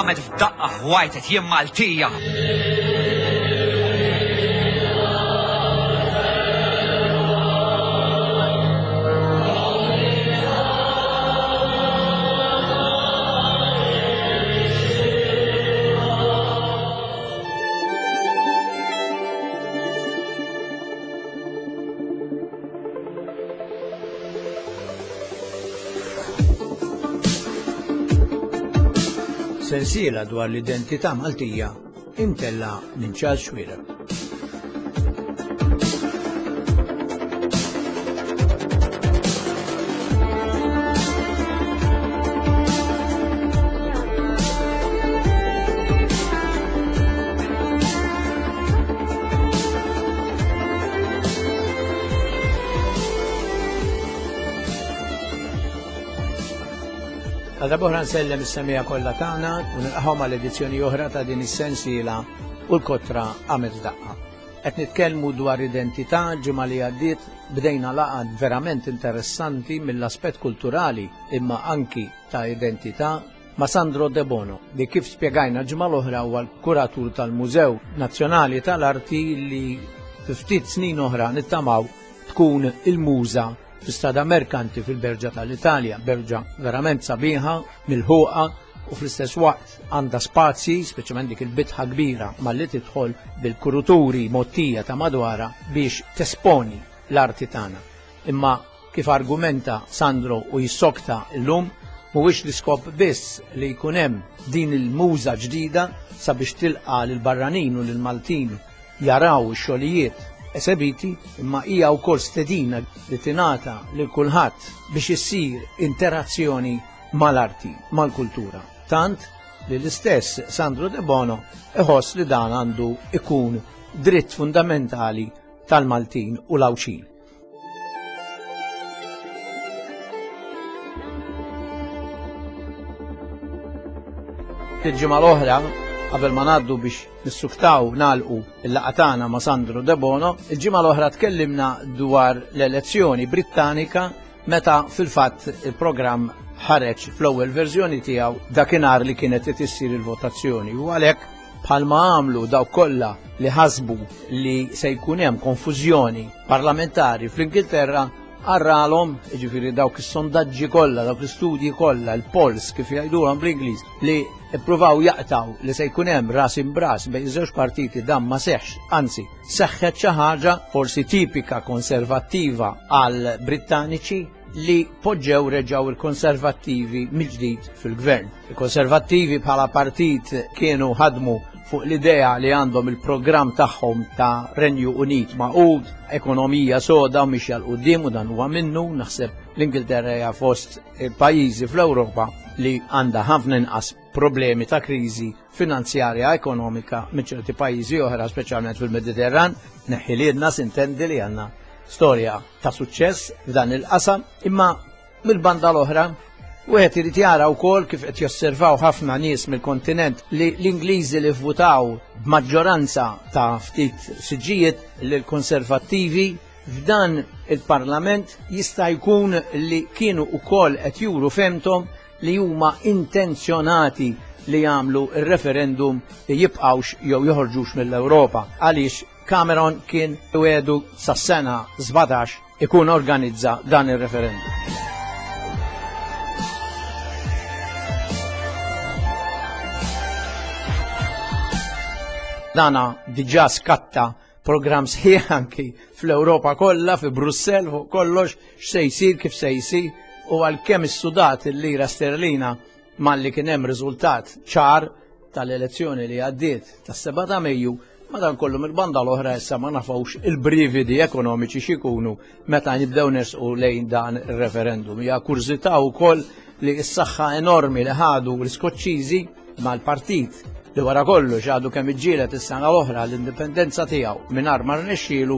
Qamet f'daqqa ħwajtet jien Maltija. Sensiela dwar l-identità Maltija imtella minn Charles Xuereb. Għal darba nsellem is-semija kollha tagħna u nilqahom għal edizzjoni oħra ta' din is-sensiela u l-kotra għamet daqqa. Qed nitkellmu dwar identità ġimgħa li għaddiet bdejna laqgħa verament interessanti mill-aspett kulturali imma anki ta' identità ma' Sandro De Bono li kif spjegajna ġimgħa l-oħra huwa l-kuratur tal-Mużew Nazzjonali tal-Arti li fi ftit snin oħra nittamaw tkun il-muża fi Strada Merkanti fil-Berġa tal-Italja, berġa verament sabiħa, milħuqa u fl-istess waqt għandha spazji, speċjalment dik il-bitħa kbira malli tidħol bil-kuruturi mottija ta' madwara biex tesponi l-arti tagħna. Imma kif argumenta Sandro u jissokta llum, mhuwiex l-iskop biss li jkun hemm din il-muża ġdida sabiex tilqa' lill-barranin u lill-Maltin jaraw ix-xogħlijiet esebiti, imma hija wkoll stedina li tingħata lil kulħadd biex issir interazzjoni mal-arti, mal-kultura. Tant li l-istess Sandro De Bono iħoss li dan għandu ikun dritt fundamentali tal-Maltin u l-Għawdxin. Il-ġimgħa l-oħra, qabel ma ngħaddu biex nissuktaw nagħlqu il-laqgħa tagħna ma' Sandro De Bono, il-ġimgħa l-oħra tkellimna dwar l-elezzjoni Brittanika meta fil-fatt il-programm ħareġ fl-ewwel verżjoni tiegħu dakinhar li kienet qed issir il-votazzjoni u għalhekk bħalma għamlu dawk kollha li ħasbu li se jkun hemm konfużjoni parlamentari fl-Ingilterra għarralhom, jiġifieri dawk is-sondaġġi kollha, dawk l-istudji kollha, il-polls kif jgħidulhom bl-Ingliż, li ippruvaw jaqtaw li se jkun hemm ras imbras bejn iż-żewġ partiti dan ma seħħx, anzi seħħet xi ħaġa forsi tipika konservattiva għal Brittaniċi li poġġew reġgħu il-konservattivi mill-ġdid fil-gvern. Il-konservattivi bħala partit kienu ħadmu fuq l-idea li għandhom il-programm tagħhom ta' Renju Unit magħqud, ekonomija soda u mixja 'l quddiem u dan huwa minnu, naħseb l-Ingilterra hija fost il-pajjiżi fl-Ewropa li għandha ħafna inqas problemi ta' kriżi finanzjarja ekonomika minn ċerti pajjiżi oħra, speċjalment fil-Mediterran, neħħiliedna sintendi li għandna storja ta' suċċess f'dan il-qasam, imma Mill-banda l-oħra, wieħed irid jara wkoll kif qed josservaw ħafna nies mill-kontinent li l-Ingliżi li vvutaw b'maġġoranza ta' ftit siġġijiet lill-Konservattivi f'dan il-Parlament jista' jkun li kienu wkoll qed juru fehmthom li huma intenzjonati li jagħmlu r-referendum li jibqgħux jew joħorġux mill-Ewropa għaliex Cameron kien wiegħdu sas-sena 17 ikun organizza dan ir-referendum. Dana diġà skatta programm sħiħ anki fl-Ewropa kollha, fi Brussell fuq kollox, x'se jsir, kif se jsir, u għalkemm is-sudat il-lira sterlina malli kien hemm riżultat ċar tal-elezzjoni li għaddiet tas-7 ta' Mejju, madankollu mill-banda l-oħra issa ma nafux il-brividi ekonomiċi x'ikunu meta nibdew nersqu lejn dan ir-referendum. Hija kurżità wkoll li s-saħħa enormi li ħadu l-Iskoċċiżi mal-partit li wara kollox għadu kemm iġġieled is-sena l-oħra l-indipendenza tiegħu mingħajr ma rnexxielu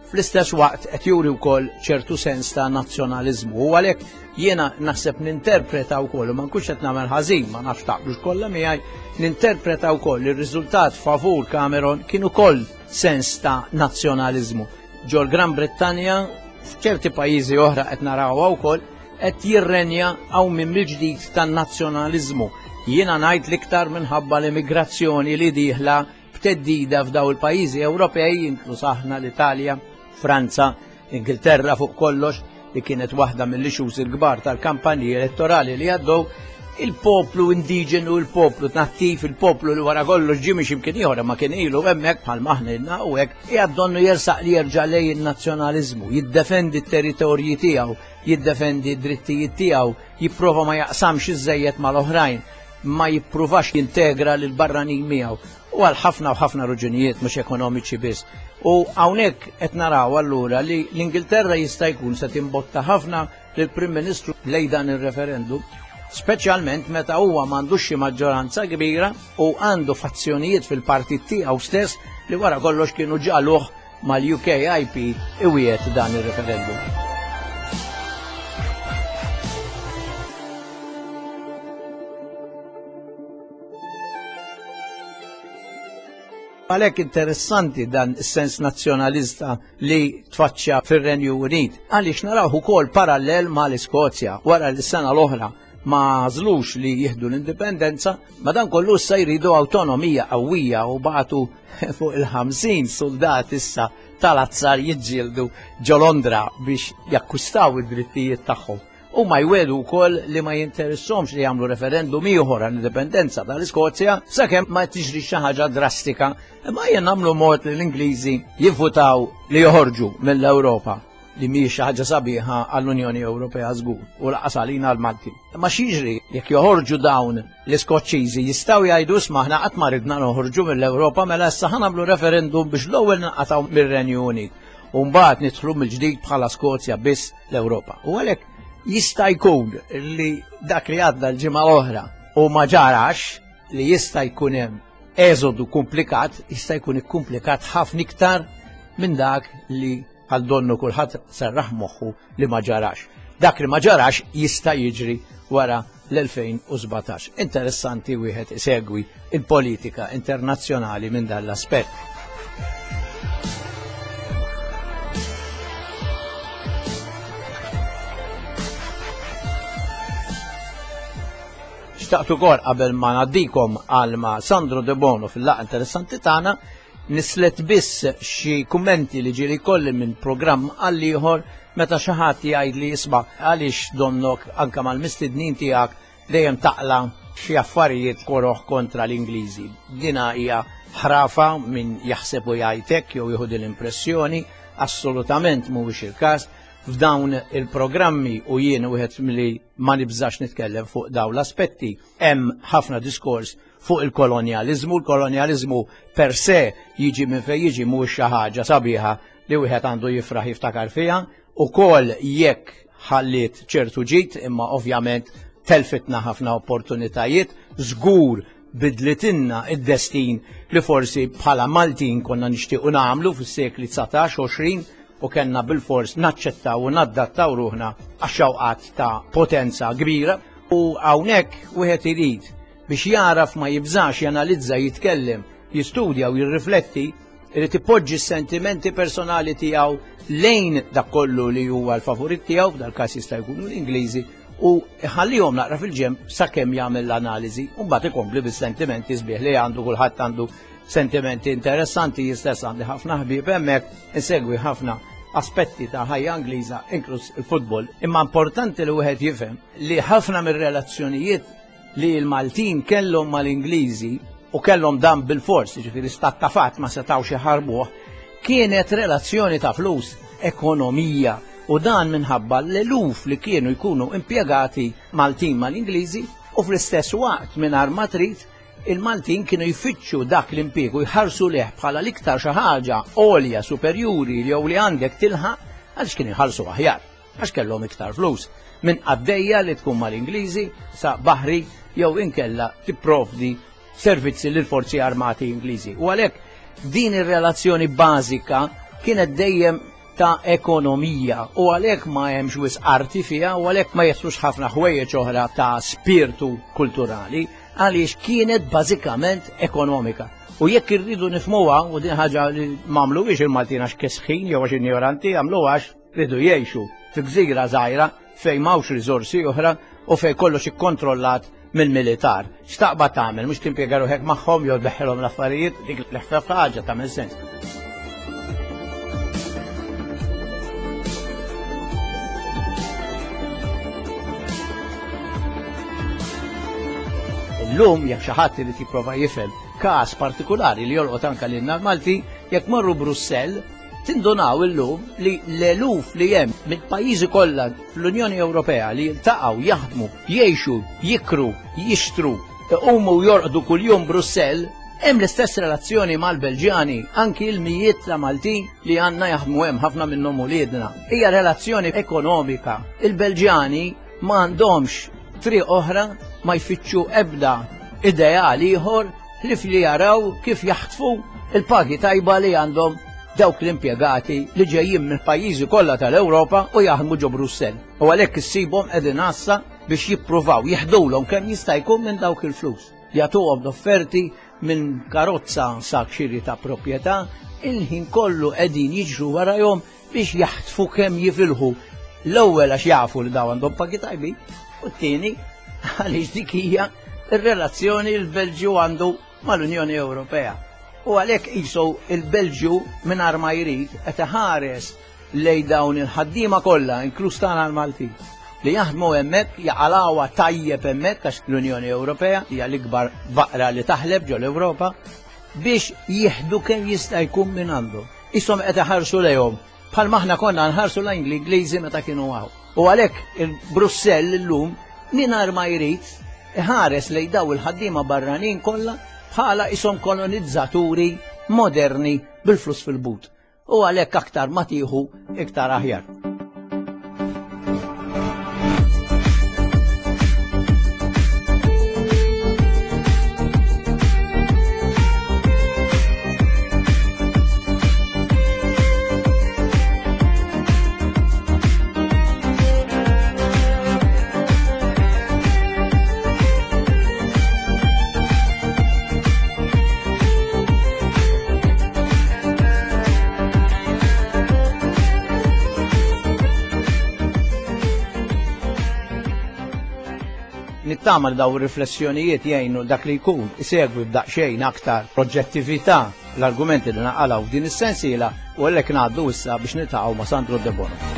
fl-istess waqt qed juri wkoll ċertu sens ta' nazzjonaliżmu. U għalhekk jiena naħseb ninterpreta wkoll u ma nkunx qed nagħmel ħażin, ma nafx taqblux kollha miegħi, ninterpreta wkoll ir-riżultat favur Cameron kien ukoll sens ta' nazzjonaliżmu. Ġol Gran Brittanja, f'ċerti pajjiżi oħra qed narawha wkoll, qed jirrenja hawn minn mill-ġdid tan-nazzjonaliżmu. Jiena ngħid l-iktar minħabba l-immigrazzjoni li dieħla b'teddida f'daw il-pajjiżi Ewropej, inkluż aħna l-Italja, Franza, Ingilterra fuq kollox, li kienet waħda mill-issues il-kbar tal-kampanji elettorali li għaddew, il-poplu indiġenu, il-poplu nattiv, il-poplu li wara kollox ġie minn x'imkien ieħor ma kien ilu hemmhekk bħal maħna u hekk, qiegħed donnu jersaq li jerġa' lejn in-nazzjonaliżmu, jiddefendi t-territorji tiegħu, jiddefendi d-drittijiet tiegħu, jipprova ma jaqsamx iżżejjed mal-oħrajn, ma jippruvax jintegra lil barranin miegħu u għal ħafna u ħafna raġunijiet mhux ekonomiċi biss. U hawnhekk qed naraw allura li l-Ingilterra jista' jkun se timbotta ħafna lill-Prim Ministru lejn dan ir-referendum, speċjalment meta huwa m'għandux xi maġġoranza kbira u għandu fazzjonijiet fil-partit tiegħu stess li wara kollox kienu ġaluh mal-UKIP iwiegħed dan ir-referendum. Għalhekk interessanti dan is-sens nazzjonalista li tfaċċja fir-Renju Unit, għaliex naraw ukoll parallel mal-Iskozja wara li s-sena l-oħra ma għażlux li jieħdu l-indipendenza, madankollu issa jridu awtonomija qawwija u bagħtu fuq il-50 soldat issa tal-azzar jiġġieldu ġo Londra biex jakkwistaw id-drittijiet tagħhom. U ma jwedu wkoll li ma jinteressomx li jagħmlu referendum ieħor għall-indipendenza tal-Iskozja sakemm ma tiġri xi ħaġa drastika, imma jien nagħmlu mod li l-Ingliżi jivvutaw li joħorġu mill-Ewropa li mhijiex xi ħaġa sabiħa għall-Unjoni Ewropea żgur u laqas għalina l-Malti. Imma x'jiġri jekk joħorġu dawn l-Iskoċċiżi jistgħu jgħidu isma' aħna qatt ma ridna noħorġu mill-Ewropa mela issa ħa nagħmlu referendum biex l-ewwel ninqatgħu mir-Renju Unit u mbagħad nidħlu mill-ġdid bħala Skozja biss l-Ewropa. U għalhekk jista' jkun li dak li għadda l-ġimgħa l-oħra u ma ġarax li jista' jkun hemm eżodu komplikat, jista' jkun ikkumplikat ħafna iktar minn dak li Bħal donnu kulħadd serraħ moħħu li ma ġarax. Dak li ma ġarax jista' jiġri wara l-2017. Interessanti wieħed isegwi il-politika internazzjonali minn dan l-aspett. Xtaqt ukoll qabel ma ngħaddikom għal ma' Sandro De Bono fil-laqgħa interessanti tagħna Nislet biss xi kummenti li ġieli jkolli minn programm għal ieħor meta xi ħadd jgħidli isma' għaliex donnok anke mal-mistednin tiegħek dejjem taqla' xi affarijiet koroh kontra l-Ingliżi. Dina hija ħrafa min jaħseb u jgħid hekk jew jieħu din l-impressjoni, assolutament mhuwiex il-każ. F'dawn il-programmi u jien wieħed milli ma nibżax nitkellem fuq dawn l-aspetti, hemm ħafna diskors fuq il-kolonjaliżmu. Il-kolonjaliżmu per se jiġi minn fejn jiġi mhuwiex xi ħaġa sabiħa li wieħed għandu jifraħ jiftakar fiha, ukoll jekk ħalliet ċertu ġid, imma ovvjament telfitna ħafna opportunitajiet, żgur bidlitilna id-destin li forsi bħala Maltin konna nixtiequ nagħmlu fis-sekli 19, 20 u kellna bilfors naċċettaw u naddattaw ruħna għax-xewqat ta' potenza kbira u hawnhekk wieħed irid biex jagħraf ma jibżax janalizza, jitkellem, jistudja u jirrifletti, irid ipoġġi s-sentimenti personali tiegħu lejn dak kollu li huwa l-favorit tiegħu, f'dal-każ jista' jkunu l-Ingliżi, u ħallihom naqra fil-ġemb sakemm jagħmel l-analiżi u mbagħad ikompli bis-sentimenti sbieħ li għandu kulħadd għandu sentimenti interessanti jistess għandi ħafna ħbieb hemmhekk, insegwi ħafna aspetti ta' ħajja Ingliża inkluż il-futbol. Imma importanti li wieħed jifhem li ħafna mir-relazzjonijiet li l-Maltin kellhom mal-Ingliżi u kellhom dan bil-fors, ġifieri stat ta' fatt ma setgħux iħarbuh, kienet relazzjoni ta' flus, ekonomija, u dan minħabba l-eluf li kienu jkunu impjegati Maltin mal-Ingliżi u fl-istess waqt mingħajr ma trid il-Maltin kienu jfittxu dak l-impjieg u jħarsu leh bħala l-iktar xi ħaġa għolja superjuri jew li għandek tilħaq għaliex kienu jħallsu aħjar. għax kellhom iktar flus minn qaddejja li tkun mal-Ingliżi sa baħri jew inkella tipprovdi servizzi lil forzi armati Ingliżi. U għalhekk din ir-relazzjoni bażika kienet dejjem ta' ekonomija u għalhekk ma hemmx wisq arti fiha u għalhekk ma jeħsux ħafna ħwejjeġ oħra ta' spirtu kulturali għaliex kienet bażikament ekonomika. U jekk irridu nifmuha u din ħaġa li m'għamluhiex il-Maltin għax kesħin jew għax injoranti għamlu għax Riedu jgħixu fi gżira żgħira fejn m'hawnx riżorsi oħra u fejn kollox ikkontrollat mill-militar. X'taqbad tagħmel, mhux timpjega ruħek magħhom jew tbeħħilhom l-affarijiet, dik l-ħfef ħaġa tagħmel sens. Illum jekk xi ħadd irid jipprova jifhem każ partikulari li jolqot anke lilna l-Malti, jekk morru Brussell, Tindunaw illum li l-eluf li hemm mill-pajjiżi kollha fl-Unjoni Ewropea li jiltaqgħu, jaħdmu, jgħixu, jikru, jixtru, iqumu u jorqdu kuljum Brussell, hemm l-istess relazzjoni mal-Belġjani, anki l-mijiet ta' Maltin li għandna jaħdmu hemm ħafna minnhom uliedna. Hija relazzjoni ekonomika. Il-Belġjani ma għandhomx triq oħra ma jfittxu ebda ideal ieħor ħlief li jaraw kif jaħtfu il-pagi tajba li għandhom dawk l-impjegati li ġejjin mill-pajjiżi kollha tal-Ewropa u jaħdmu ġo Brussell. U għalhekk issibhom qegħdin għassa biex jippruvaw jiħdulhom kemm jista' jkun minn dawk il-flus. Jagħtuhom offerti minn karozza sa xiri ta' proprjetà, il-ħin kollu qegħdin jiġru warajhom biex jaħtfu kemm jifilħu. L-ewwel għax jafu li daw għandhom pagi tajbin, u t-tieni għaliex dik hija r-relazzjoni l-Belġju għandu mal-Unjoni Ewropea. U għalhekk qisu il-Belġju mingħajr ma jrid qed iħares lej dawn il-ħaddiema kollha, inkluż tagħna l-Maltin, li jaħdmu hemmhekk jaqalgħuha tajjeb hemmhekk għax l-Unjoni Ewropea hija l-ikbar baqra li taħleb ġol Ewropa biex jieħdu kemm jista' jkun minn għandhom. Qishom qed iħarsu lejhom bħalma aħna konna nħarsu lejn l-Ingliżi meta kienu hawn. U għalhekk il-Brussell illum mingħajr ma jrid iħares lejn daw il-ħaddiema barranin kollha bħala qishom kolonizzaturi moderni bil-flus fil-but. U għalhekk aktar ma tieħu iktar aħjar. Nittama li daw ir-riflessjonijiet jgħinu dak li jkun isegwi b'daqsxejn aktar proġettività l-argumenti li naqalgħu f'din is-sensiela u għalhekk ngħaddu issa biex niltaqgħu ma' Sandro Debono.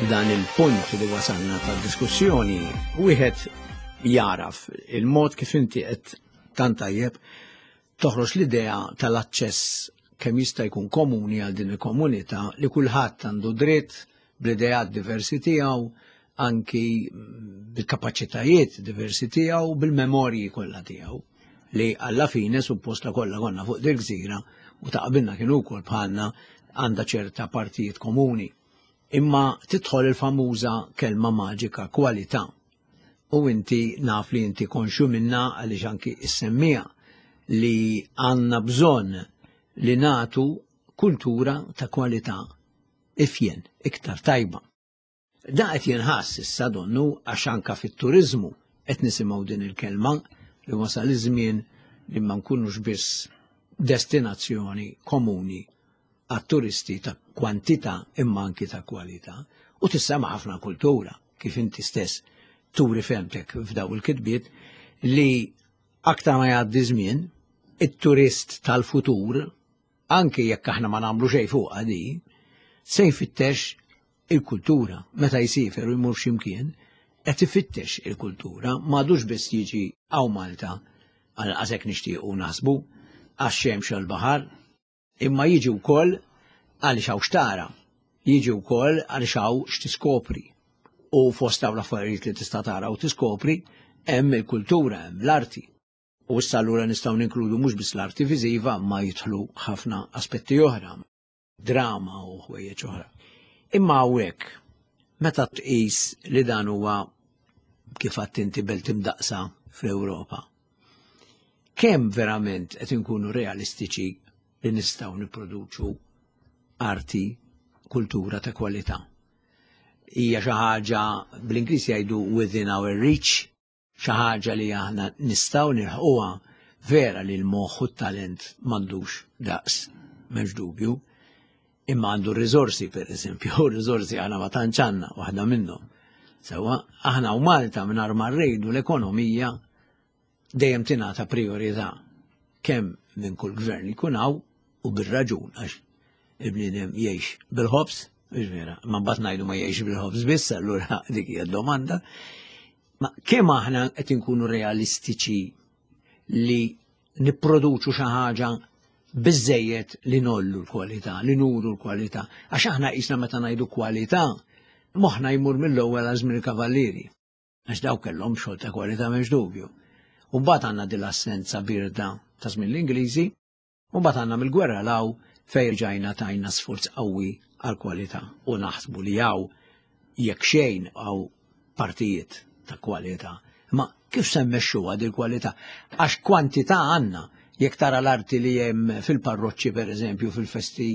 Dan il-punt li wasalna tad-diskussjoni, wieħed jaraf il-mod kif inti qed tant tajjeb toħroġ l-idea tal-aċċess kemm jista' jkun komuni għal din il-komunità li kulħadd għandu dritt bl-ideat diversi tiegħu, anki bil-kapaċitajiet diversi tiegħu, bil-memorji kollha tiegħu li alla fine suppost la kollha konna fuq dil gżira u ta' qabilna kienu wkoll bħalna għandha ċerta partijiet komuni. Imma tidħol il-famuża kelma maġika kwalità. U inti naf li inti konxju minna għaliex anki issemmija li għandna bżonn li natu kultura ta' kwalità ifjen, iktar tajba. Da qed jinħass issa donnu għax anka fit-turiżmu qed nisimgħu din il-kelma li wasal iż-żmien li ma nkunux biss destinazzjoni komuni għat-turisti ta' kwantità imma anki ta' kwalità u tissema ħafna kultura kif inti stess turi femtek f'daw il-kitbiet li aktar ma jgħaddi żmien it-turist tal-futur. anke jekk aħna ma nagħmlu xejn fuqha di, se jfittex il-kultura. Meta jsiefer u jmur x'imkien, qed ifittex il-kultura, m'għadux biss jiġi hawn Malta għal qasek nixtiequ naħsbu għax-xemx u l-baħar, imma jiġi wkoll għaliex hawn xtara, jiġi wkoll għaliex hawn x'tiskopri. U fost hawn l-affarijiet li tista' tara u tiskopri hemm il-kultura, hemm l-arti. U issa allura nistgħu ninkludu mhux biss l-arti viżiva ma jidħlu ħafna aspetti oħra, drama u ħwejjeġ oħra. Imma hawnhekk meta tqis li dan huwa kif għadt inti belt imdaqsa fl-Ewropa. Kemm verament qed inkunu realistiċi li nistgħu nipproduċu arti, kultura ta' kwalità? Hija xi ħaġa bl-Ingliż jgħidu within our reach, xi ħaġa li aħna nistgħu nilħquha vera li l-moħħ u t-talent m'għandux daqs, m'hemmx dubju, imma għandu r-riżorsi per eżempju, u r-riżorsi aħna ma tantx għandna waħda minnhom. Sewwa, aħna u Malta mingħajr ma rridu l-ekonomija dejjem tingħata priorità kemm minn kull gvern li jkun hawn u bir-raġun għax il-bniedem jgħix bil-ħobż, vera, ma mbagħad ngħidu ma jgħix bil-ħobż biss, allura dik hija domanda. Ma kemm aħna qed inkunu realistiċi li nipproduċu xi ħaġa biżejjed li nollu l-kwalità, li nuru l-kwalità. Għax aħna qisna meta ngħidu kwalità, moħħna jmur mill-ewwel għal żmien il-kavallieri. Għax daw kellhom xogħol ta' kwalità m'hemmx dubju. U mbagħad għandna din l-assenza birda ta' żmien l-Ingliżi, u mbagħad għandna mill-gwerra law fejn ġajna tajna sforz qawwi għal kwalità u naħsbu li hawn jekk xejn hawn partijiet ta' kwalità. Ma kif se mmexxuha dil kwalità? Għax kwantità għandna jekk tara l-arti li hemm fil-parroċċi pereżempju fil-festi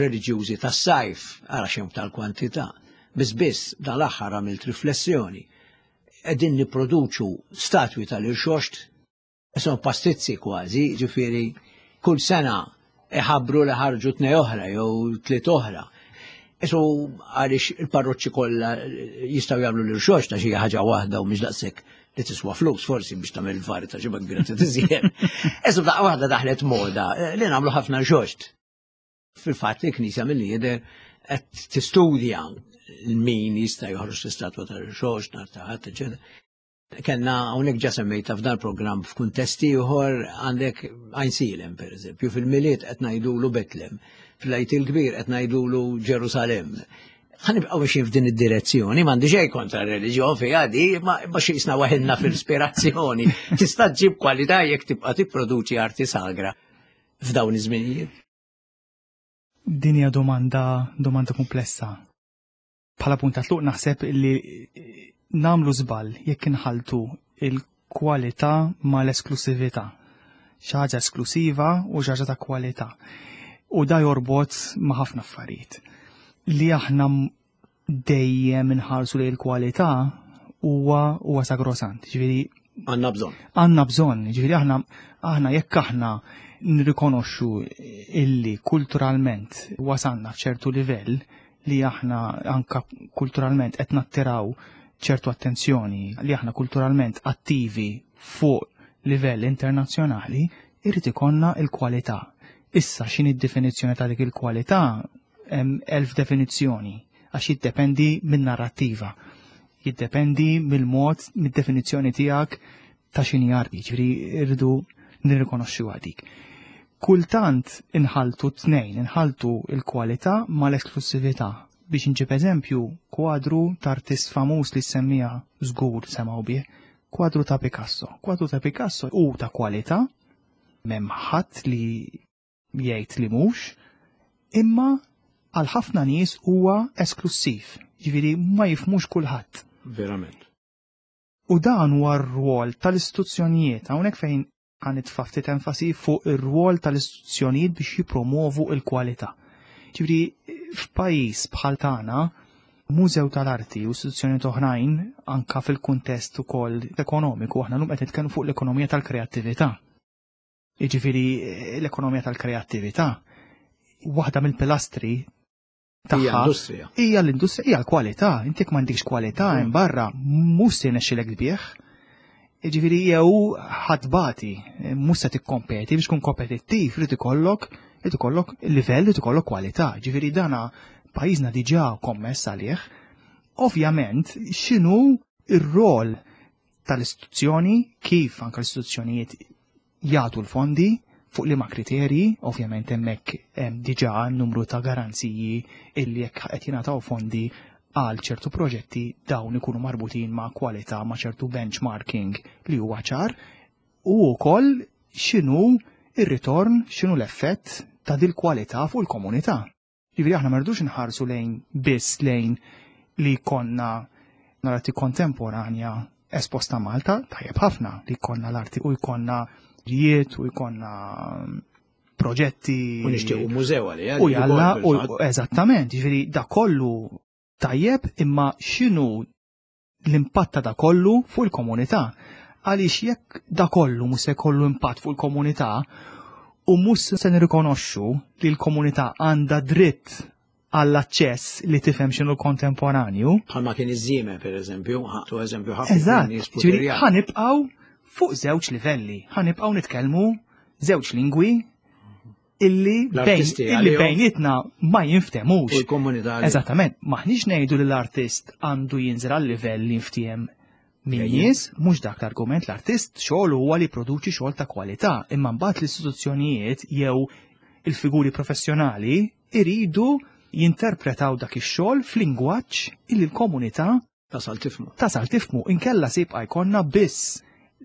reliġjużi tas-sajf, ara xemm tal-kwantità. Biss biss dal-aħħar għamilt riflessjoni. Qegħdin nipproduċu statwi tal-irxoxt Son pastizzi kważi, ġifieri kull sena iħabbru li ħarġu tnej oħra jew tliet oħra. Isu għaliex il-parroċċi kollha jistgħu jagħmlu l irxox ta' xi ħaġa waħda u mhix daqshekk li tiswa flus forsi biex tagħmel il-vari ta' ġibha kbira tiżjed. Isu daqqa waħda daħlet moda li nagħmlu ħafna rxoxt. Fil-fatt il-Knisja milli jidher qed tistudja min jista' joħroġ l-istatwa tal-irxoxt nhar ta' ħadd, eċetera. Kenna hawnhekk ġa semmejta f'dan programm f'kuntest ieħor għandek Għajnsielem pereżempju, fil-Milied qed ngħidulu Betlem, fl-Għid il-Kbir qed ngħidulu Ġerusalemm. Ħanibqgħu mexjin f'din id-direzzjoni, m'għandi xejn kontra r-reliġjon fiha di, ma xi jisna waħilna fl-ispirazzjoni. Tista' ġġib kwalità jekk tibqa' tipproduċi arti sagra f'dawn iż-żminijiet. Din hija domanda domanda komplessa. Bħala punt ta' tluq naħseb li nagħmlu żball jekk inħaltu il-kwalità mal-esklusività. Xi ħaġa esklusiva u xi ħaġa ta' kwalità. U da jorbot ma' ħafna affarijiet. Li aħna dejjem inħarsu lejn il-kwalità huwa huwa sagrosant. Ġifieri għandna bżonn. Għandna bżonn, ġifieri aħna aħna jekk aħna nirrikonoxxu illi kulturalment wasalna f'ċertu livell li aħna anka kulturalment qed nattiraw ċertu attenzjoni li aħna kulturalment attivi fuq livell internazzjonali, irrid ikollna l-kwalità. Issa x'inhi d-definizzjoni ta' dik il-kwalità hemm elf definizzjoni għax jiddependi min-narrattiva, jiddependi mill-mod, mid-definizzjoni tiegħek ta' x'inhi arti, ġifieri rridu nirrikonoxxuha dik. Kultant inħaltu t-tnejn, inħaltu l-kwalità mal-esklussività. Biex inġib eżempju, kwadru ta' artist famuż li semmija żgur semgħu bih, kwadru ta' Picasso. Kwadru ta' Picasso hu ta' kwalità, m'hemm ħadd li jgħid li mhux, imma għal ħafna nies huwa esklussiv, ġifieri ma jifhmux kulħadd. Verament. U dan huwa r-rwol tal-istituzzjonijiet, hawnhekk fejn ħa nitfa' ftit enfasi fuq ir-rwol tal-istituzzjonijiet biex jippromovu l-kwalità. Ġifieri f'pajjiż bħal tagħna, mużew tal-arti u istituzzjonijiet oħrajn anka fil-kuntest ukoll ekonomiku, aħna llum qed nitkellmu fuq l-ekonomija tal-kreattività. Jiġifieri l-ekonomija tal-kreattività waħda mill-pilastri tagħha hija l-industrija, hija l-kwalità. Inti jekk m'għandikx kwalità hemm barra mhux se jnexxilek tbigħ. Jiġifieri jew ħadbati, mhux se tikkompeti biex tkun kompetittiv irid ikollok Irid ikollok livell, irid ikollok kwalità. Ġifieri dana pajjiżna diġà kommess għalih. Ovvjament, x'inhu ir-rol tal-istituzzjoni, kif anke l-istituzzjonijiet jagħtu l-fondi, fuq liema kriterji, ovvjament hemmhekk hemm diġà numru ta' garanziji illi jekk qed jingħataw fondi għal ċertu proġetti dawn ikunu marbutin ma' kwalità ma' ċertu benchmarking li huwa ċar u wkoll x'inhu ir-ritorn, x'inhu l-effett ta' dil-kwalità fuq il-komunità. Jiġifieri aħna ma rridux inħarsu lejn biss lejn li jkollna l-arti kontemporanja esposta Malta, tajjeb ħafna li jkollna l-arti u jkollna rijiet u jkollna proġetti. U nixtiequ mużew għalija. U jalla, u eżattament, jiġifieri da kollu tajjeb imma x'inhu l-impatt ta' da kollu fuq il-komunità. Għaliex jekk da kollu mhux se jkollu impatt fuq il-komunità u mhux se nirrikonoxxu li l-komunità għandha dritt għall-aċċess li tifhem x'inhu kontemporanju. Bħalma kien iż-żieme pereżempju, ħatu eżempju ħafna. Eżatt, ġifieri ħanibqgħu fuq żewġ livelli, ħanibqgħu nitkellmu żewġ lingwi illi illi bejnietna ma jinftemux. U l-komunità. Eżattament, maħniex ngħidu li l-artist għandu jinżel għal livell li jinftiem minn nies, mhux dak l-argument l-artist xogħol huwa li produċi xogħol ta' kwalità, imma mbagħad l-istituzzjonijiet jew il-figuri professjonali iridu jinterpretaw dak ix-xogħol f'lingwaġġ illi l-komunità Tasal tifmu. Tasal tifmu, inkella se jibqa' jkollna biss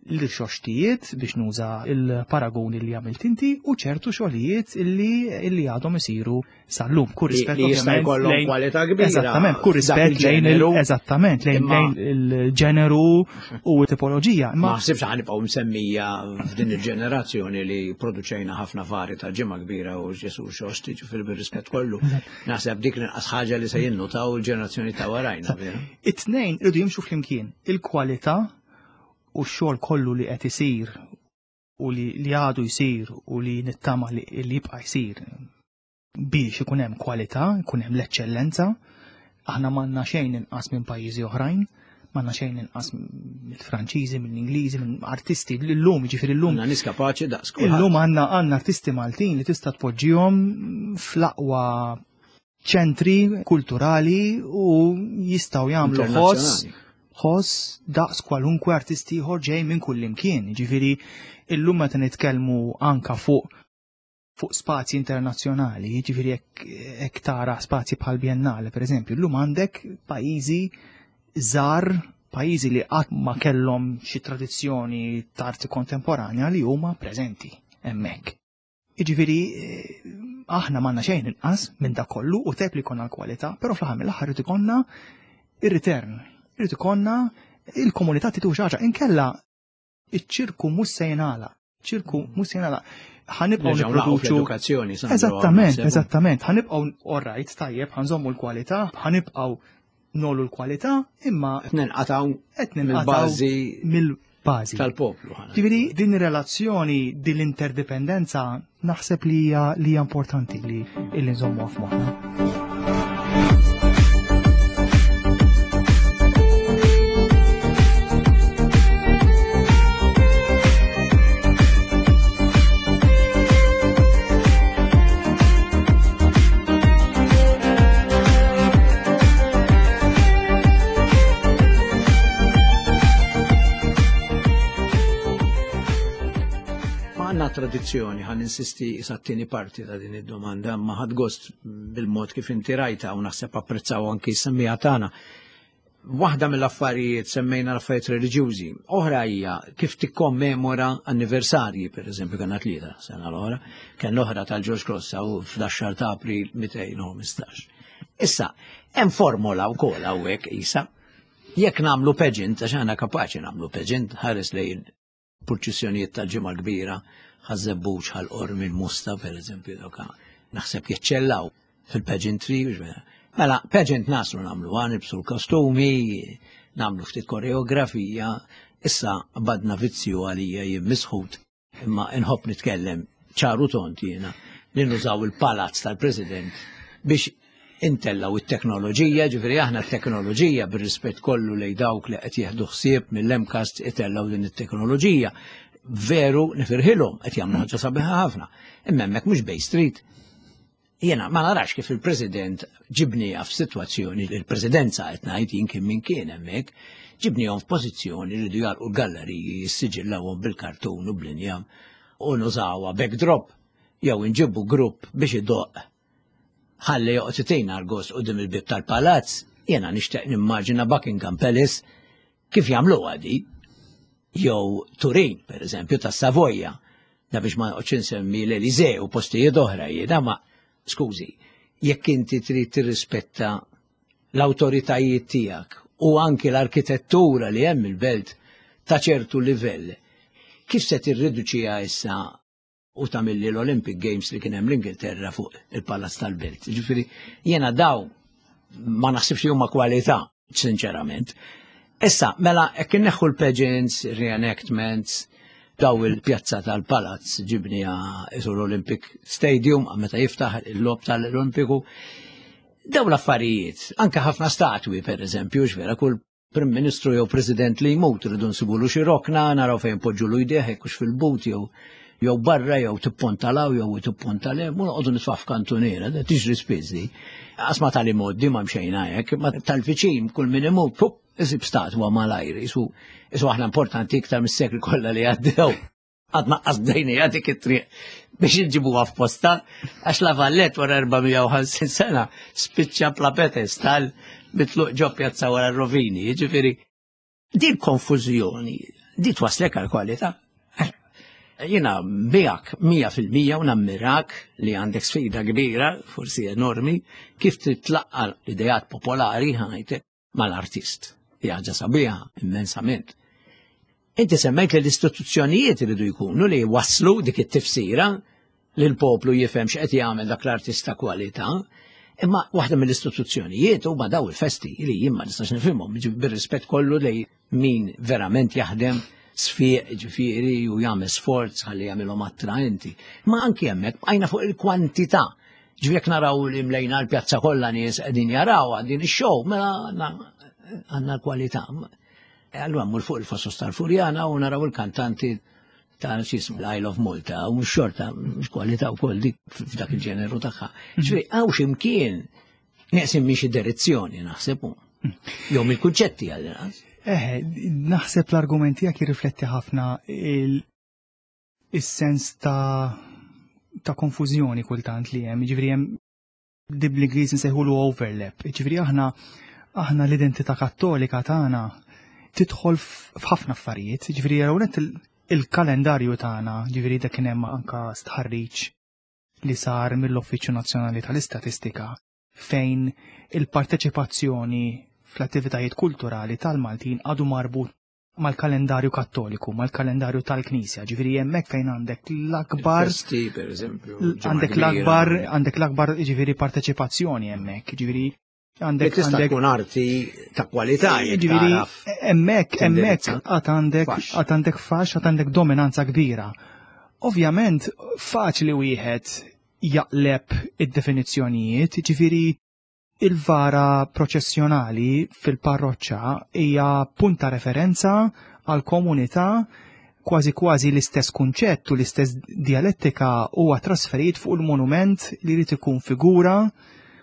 l-xoxtijiet biex nuża il-paragoni li għamilt inti u ċertu xogħlijiet illi illi għadhom isiru sal-lum. Kur rispett li jista' jkollhom kwalità kbira. Eżattament, kur rispett lejn eżattament lejn il-ġeneru u tipoloġija. Ma ħsibx ħanibqgħu msemmija f'din il-ġenerazzjoni li produċejna ħafna vari ta' ġimgħa kbira u Ġesu xoxti ġifieri bir-rispett kollu. Naħseb dik l-inqas ħaġa li se jinnutaw il-ġenerazzjoni ta' warajna. It-tnejn irridu jimxu flimkien, il-kwalità u x-xogħol kollu li qed isir u li għadu jsir u li nittama li jibqa' jsir biex ikun hemm kwalità, ikun hemm l-eċċellenza. Aħna m'għandna xejn inqas minn pajjiżi oħrajn m'għandna xejn inqas mill-Franċiżi, mill-Ingliżi, minn artisti l-lum, ġifieri llum. Għandna nies kapaċi daqs Illum għandna għandna artisti Maltin li tista' tpoġġihom fl-aqwa ċentri kulturali u jistgħu jagħmlu ħoss ħoss daqs kwalunkwe artisti ieħor ġej minn kull imkien. Ġifieri illum meta nitkellmu anka fuq fuq spazji internazzjonali, jiġifieri jekk tara spazji bħal Biennale, per eżempju, llum għandek pajjiżi żgħar, pajjiżi li qatt ma kellhom xi tradizzjoni ta' arti kontemporanja li huma preżenti hemmhekk. Jiġifieri eh, aħna m'għandna xejn inqas minn dak kollu u tep li jkollna l-kwalità, però fl-aħħar mill-aħħar irid ikollna ir-return, irid ikollna il-komunità titu xi ħaġa inkella iċ-ċirku mhux se jingħalaq. ċirku mhux se jingħalaq. Ħanibqgħu nipproduċu edukazzjoni. Eżattament, eżattament. Ħanibqgħu all right, tajjeb, ħanżommu l-kwalità, ħanibqgħu nolu l-kwalità, imma qed ninqatgħu qed mill-bażi mill-bażi tal-poplu. Ġifieri din ir-relazzjoni, din l-interdipendenza naħseb li hija li hija importanti li illi nżommuha f'moħħna. Għanna tradizzjoni, ħan insisti sa t-tieni parti ta' din id-domanda, ma ħad gost bil-mod kif inti rajta u naħseb apprezzaw anki semmija tagħna. Waħda mill-affarijiet semmejna l-affarijiet reliġjużi, oħra hija kif tikkommemora anniversarji, per eżempju kena tlieta sena l-oħra, kien l-oħra tal-George Cross u fl-10 ta' April 215. Issa, hemm formola wkoll hawnhekk isa. Jekk nagħmlu pageant, għax aħna kapaċi nagħmlu pageant, ħares lejn purċissjonijiet tal-Ġimgħa l-Kbira, ħaż-Żebbuġ, ħal-Qormi, l-Musta, per eżempju, dawk naħseb jeċċellaw fil-pageantry. Mela, pageant naslu nagħmlu għan, nibsu l-kostumi, nagħmlu ftit koreografija, issa badna vizzju għalija jien misħut, imma inħobb nitkellem ċaru tont jiena li nużaw il-palazz tal-President biex intellaw it-teknoloġija, ġifieri aħna t-teknoloġija bir-rispett kollu lej dawk li qed jieħdu ħsieb mill-MCAST itellaw din it-teknoloġija. Veru nifirħilhom qed jagħmlu ħaġa sabiħa ħafna. Imma hemmhekk mhux Bay Street. Jiena ma narax kif il-President ġibnija f'sitwazzjoni, il-Presidenza qed ngħid jien kien min kien hemmhekk, ġibnihom f'pożizzjoni li jridu jagħlqu l-galleriji jissiġillawhom bil-kartun u bl-injam u nużawha backdrop jew inġibu grupp biex idoqq ħalli joqgħod itina l-gost quddiem il-bieb tal-palazz, jiena nixtieq nimmaġina Buckingham Palace kif jagħmluha di. Jew Turin, per eżempju, tas-Savoja, da biex ma noqgħodx insemmi l-Elysee u postijiet oħra jiena, ma skużi, jekk inti trid tirrispetta l-awtoritajiet tiegħek u anki l-arkitettura li hemm il-belt ta' ċertu livell, kif se tirriduċiha issa u tagħmilli l-Olympic Games li kien hemm l-Ingilterra fuq il-Palazz tal-Belt. Ġifieri jiena daw ma naħsibx li huma kwalità, sinċerament. Issa, mela, hekk inneħħu l-pageants, reenactments, daw il-pjazza tal-Palazz ġibnija isu l-Olympic Stadium, meta jiftaħ il-lob tal-Olimpiku. Daw l-affarijiet, anke ħafna statwi per eżempju, x'vera kull Prim Ministru jew President li jmut rridu nsibulu xi rokna, naraw fejn poġġulu jdejh jekk hux fil-but jew jew barra jew tippontalaw jew tippontalem, u noqogħdu nitfa' f'kantuniera, da tiġri spiss di. Qas ma tal-imgħoddi ma mxejna hekk, ma tal-viċin kull min imut, pup, isib statwa malajr, isu isu aħna importanti iktar mis-sekli kollha li għaddew. Għadna qas bdejnija dik it-triq biex inġibuha f'posta, għax la Vallet wara 450 sena spiċċa bla pedestal mitluq ġo pjazza wara r-rovini. Jiġifieri, din konfużjoni, di twaslek għal kwalità. Jiena miegħek 100% u nammirak li għandek sfida kbira, forsi enormi, kif titlaqqa l-ideat popolari ħajtek mal-artist. Hija ħaġa sabiħa immensament. Inti semmejt li l-istituzzjonijiet iridu jkunu li waslu dik it-tifsira li l-poplu jifhem x'qed jagħmel dak l-artist ta' kwalità. Imma waħda mill-istituzzjonijiet huma daw il-festi li jien ma nistax nifhimhom bir-rispett kollu li min verament jaħdem sfiq ġifieri u jagħmel sforz ħalli jagħmilhom attraenti. Ma anki hemmhekk bqajna fuq il-kwantità. Ġifieri jekk naraw li mlejna l-pjazza kollha nies qegħdin jaraw din ix-show, mela għandna l-kwalità. E allura mmur fuq il-Fosos tal-Furjana u naraw il-kantanti ta' xismu l-Isle of Malta u mhux xorta, mhux kwalità wkoll dik f'dak il-ġeneru tagħha. Ġifieri hawn x'imkien neqsim minn xi direzzjoni naħseb hu. Jew mill-kunċetti għall-inqas. Eh, naħseb l-argument tiegħek jirrifletti ħafna il-sens ta' ta' konfużjoni kultant li hemm, jiġifieri hemm di bl-Ingliż nsejħulu overlap. Jiġifieri aħna aħna l-identità kattolika tagħna tidħol f'ħafna affarijiet, jiġifieri hawnhekk il-kalendarju tagħna, jiġifieri dak kien hemm anka stħarriġ li sar mill-Uffiċċju Nazzjonali tal-Istatistika fejn il-parteċipazzjoni fl-attivitajiet kulturali tal-Maltin għadu marbut mal-kalendarju kattoliku, mal-kalendarju tal-Knisja, ġifieri hemmhekk fejn għandek l-akbar. Festi, per eżempju. Għandek l-akbar, għandek l-akbar ġifieri parteċipazzjoni hemmhekk, ġifieri għandek tista' tkun arti ta' kwalità ġifieri hemmhekk hemmhekk għad għandek għad għandek fax, għad għandek dominanza kbira. Ovvjament faċli wieħed jaqleb id-definizzjonijiet, ġifieri Il-vara proċessjonali fil-parroċċa hija punt ta' referenza għall-komunità kważi kważi l-istess kunċett u l-istess dialettika huwa trasferit fuq il-monument li jrid ikun figura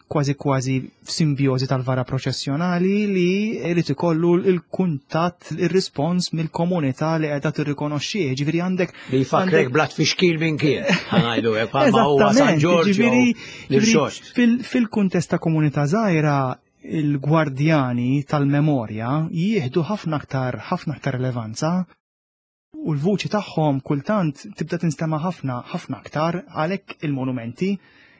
kważi kważi f'simbjożi tal-vara proċessjonali li jrid ikollu l-kuntatt, ir-rispons mill-komunità li qiegħda tirrikonoxxih. Ġifieri għandek li jfakkrek bla tfixkil minn kien. Ħanajdu hekk bħalma huwa San Ġorġ. Fil-kuntest ta' komunità żgħira il-gwardjani tal-memorja jieħdu ħafna aktar ħafna aktar relevanza u l-vuċi tagħhom kultant tibda tinstema' ħafna ħafna aktar għalhekk il-monumenti.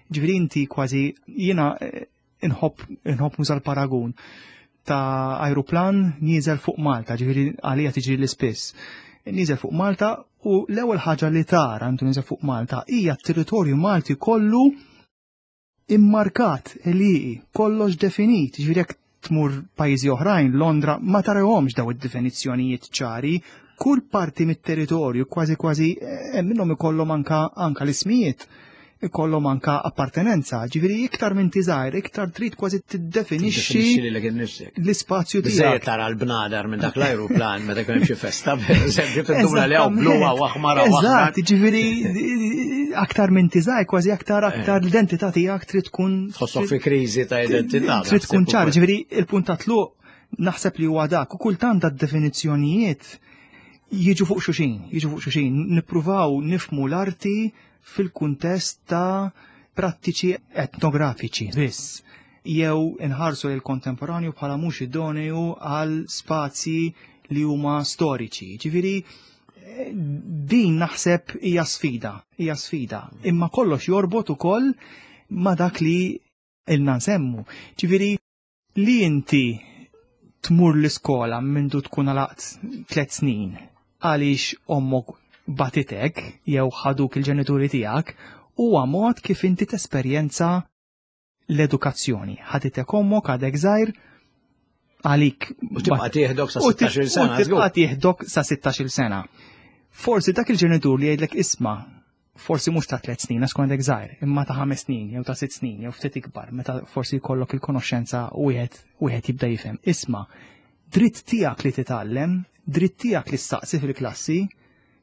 Ġifieri inti kważi jiena eh, inħobb inħobb nuża l-paragun ta' ajruplan nieżel fuq Malta, ġifieri għalija tiġri l-ispiss. Nieżel fuq Malta u l-ewwel ħaġa li tara intu nieżel fuq Malta hija t-territorju Malti kollu immarkat, eliqi, kollox definit, ġifieri jekk tmur pajjiżi oħrajn, Londra, ma tarahomx daw id-definizzjonijiet ċari, kull parti mit-territorju kważi kważi eh, minnhom ikollhom anka anka l-ismijiet. ikollhom anka appartenenza, ġifieri iktar minn tiżgħir, iktar trid kważi tiddefinixxi l-ispazju tiegħek. Biżejjed tara l-bnadar minn dak l-ajruplan meta jkun hemm xi festa, pereżempju, tinduna li hawn blu hawn aħmar hawn Eżatt, ġifieri aktar minn tiżgħir kważi aktar aktar eh. l-identità tiegħek trid tkun Tħossok fi kriżi ta' identità. Trid tkun ċar, ġifieri il-punt ta' tluq naħseb li huwa dak u kultant d-definizzjonijiet jiġu fuq xuxin, jiġu fuq xuxin, nippruvaw nifmu l-arti fil-kuntest ta' prattiċi etnografiċi biss jew inħarsu lil kontemporanju bħala mhux idoneu għal spazji li huma storiċi. Ġifieri din naħseb hija sfida, hija sfida. Imma kollox jorbot ukoll ma dak li ilna nsemmu. Ġifieri li inti tmur l-iskola mindu tkun għalaqt tlet snin għaliex ommok batitek jew ħaduk il-ġenituri tiegħek huwa mod kif inti tesperjenza l-edukazzjoni. Ħaditek ommok għadek żgħir għalik. U tibqa' tieħdok sa 16-il sena. U tibqa' tieħdok sa 16-il sena. Forsi dak il-ġenitur li jgħidlek isma' forsi mhux ta' tliet snin għax għandek żgħir, imma ta' ħames snin jew ta' sitt snin jew ftit ikbar, meta forsi jkollok il-konoxxenza wieħed wieħed jibda jifhem. Isma' dritt tiegħek li titgħallem, dritt tiegħek li staqsi fil-klassi,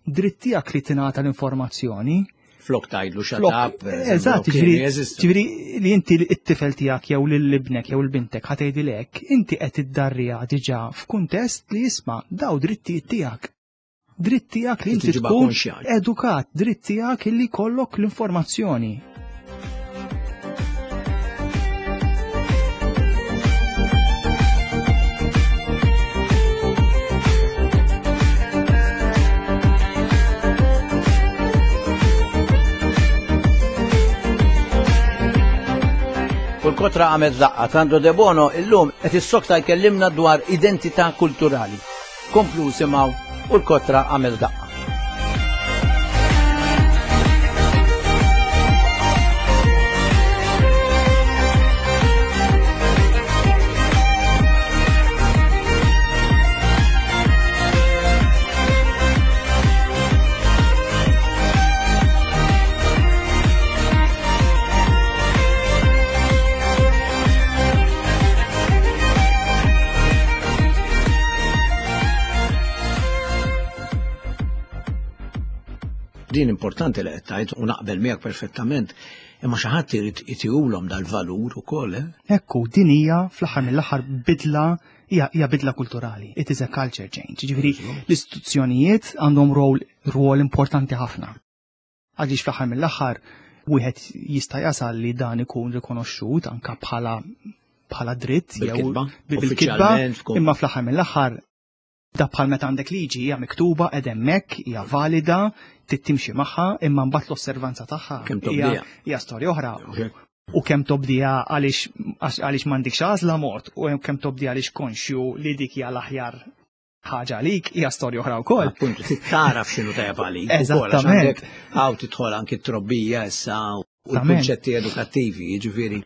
dritt tiegħek li tingħata l-informazzjoni. Flok tgħidlu shut up. Eżatt, ġifieri li inti t-tifel tiegħek jew lil ibnek jew l-bintek ħa tgħidilek, inti qed iddarriha diġà f'kuntest li jisma' daw drittijiet tiegħek. Dritt tiegħek li inti tkun edukat, dritt tiegħek li jkollok l-informazzjoni. U l-kotra għamet daqqa, Sandro De Bono illum qed issokta jkellimna dwar identità kulturali. Komplu simgħu u l-kotra għamel daqqa. Din importanti li qed tgħid u naqbel miegħek perfettament, imma xi ħadd irid itihulhom dal-valur ukoll, eh? Ekku, din hija fl-aħħar mill-aħħar bidla hija bidla kulturali. It is a culture change. Ġifieri l-istituzzjonijiet għandhom rol rwol importanti ħafna. Għaliex fl-aħħar mill-aħħar wieħed jista' jasal li dan ikun rikonoxxut anka bħala bħala dritt jew bil-kitba, imma fl-aħħar mill-aħħar da bħal meta għandek liġi hija miktuba qed hemmhekk, hija valida, trid timxi magħha, imma mbagħad l-osservanza tagħha hija storja oħra. U kemm tobdiha għaliex għaliex m'għandikx għażla mod u kemm tobdiha għaliex konxju li dik hija l-aħjar ħaġa għalik hija storja oħra wkoll. Appuntu, trid tagħraf x'inhu tajjeb għalik. Eżattament. Hawn tidħol anki t-trobbija issa u l-kunċetti edukattivi, jiġifieri